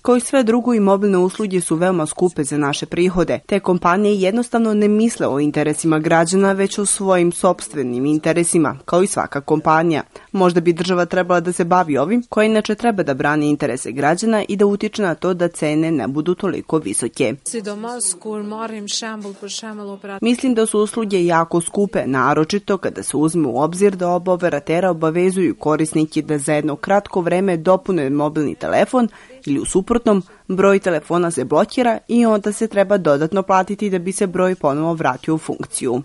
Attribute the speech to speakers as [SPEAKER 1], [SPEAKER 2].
[SPEAKER 1] Kao i sve drugo, i mobilne usluge su veoma skupe za naše prihode. Te kompanije jednostavno ne misle o interesima građana, već o svojim sopstvenim interesima, kao i svaka kompanija. Možda bi država trebala da se bavi ovim, koja inače treba da brani interese građana i da utiče na to da cene ne budu toliko visoke. Mislim da su usluge jako skupe, naročito kada se uzme u obzir da oba operatera obavezuju korisnike da za jedno kratko vreme dopune mobilni telefon ili u suprotnom broj telefona se blokira i onda se treba dodatno platiti da bi se broj ponovo vratio u funkciju.